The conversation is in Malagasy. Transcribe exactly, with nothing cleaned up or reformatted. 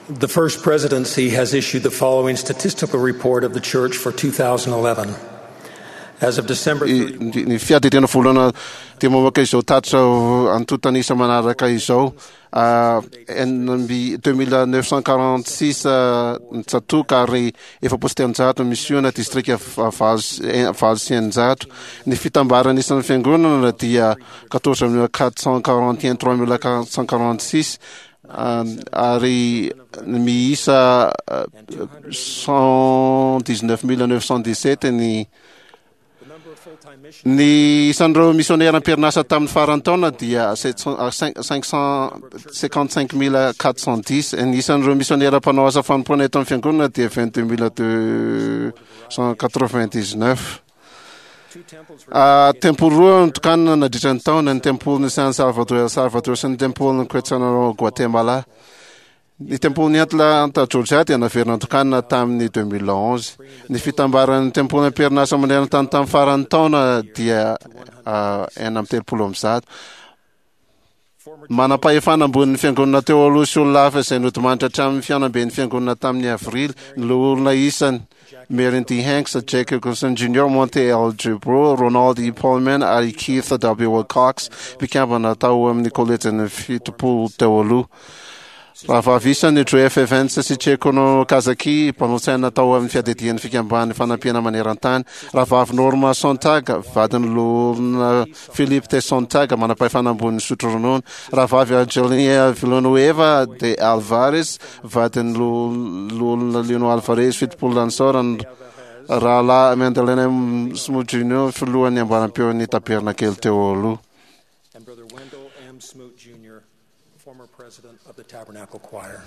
The First Presidency has issued the following statistical report of the Church for twenty eleven. As of December Ny fiadidiana voalohany dia mamoaka izao tatitra antontanisa manaraka izao: enina amby deux mille neuf cent quarante six ny tsatoka ary efapolo sy telonjato misiona, distrika valo valo sy eninjato. Ny fitambarana isan'ny fiangonana dia quatorze mille quatre cent quarante un trois mille quatre cent quarante six ary miisa cent dix neuf mille neuf cent dix sept ny ny isan'ireo missionnaire am-perinasa tamin'ny farany taona dia sept cent cinq cent cinquante cinq mille quatre cent dix. Ny isan'ireo missionnaire mpanao asa fanompoana eto amin'ny fiangonana dia vingt deux mille deux cent quatre vingt dix neuf. Tempoly roa notokanana nandritra ny taona: ny tempoly ny San Salvador, El Salvador, sy ny tempoly ny Quetzaltenango, Guatemala. Ny tempoly ny Atlanta, Georgia, dia naverina notokanana tamin'ny deux mille onze. Ny fitambaran'ny tempoly am-perinasa maneran-tany tamin'ny farany taona dia enina amby telopolo amby zato. Manam-pahefana ambonin'ny fiangonana teo aloha sy olona hafa izay nodimandry hatramin'ny fihaonamben'ny fiangonana tamin'ny avrily: ny loholona isany Marion D. Hanks, Jack Wilkinson Junior, Monte L. Jubro, Ronald E. Pullman ary Keith W. Wilcox, mpikambana tao amin'ny kolejin'ny fitopolo teo aloha. Rahavavy isany Joe F. Evans sy Chieko Okazaki, mpanolotsaina tao amin'ny fiadidian'ny Fikambanan'ny Fanampiana maneran-tany. Rahavavy Norma Sontag, vadin'ny loholona Philip T. Sontag, manam-pahefana ambonin'ny sotro ronono. Rahavavy Angelina Villanueva de Alvarez, vadin'ny loholona Lino Alvarez, fitopolo lanisaorana. Rahalahy Wendell M. Smoot Junior, filohan'ny amboaram-peon'ny tabernakely teo aloha. And Brother Wendell M. Smoot Junior, former president of the Tabernacle Choir.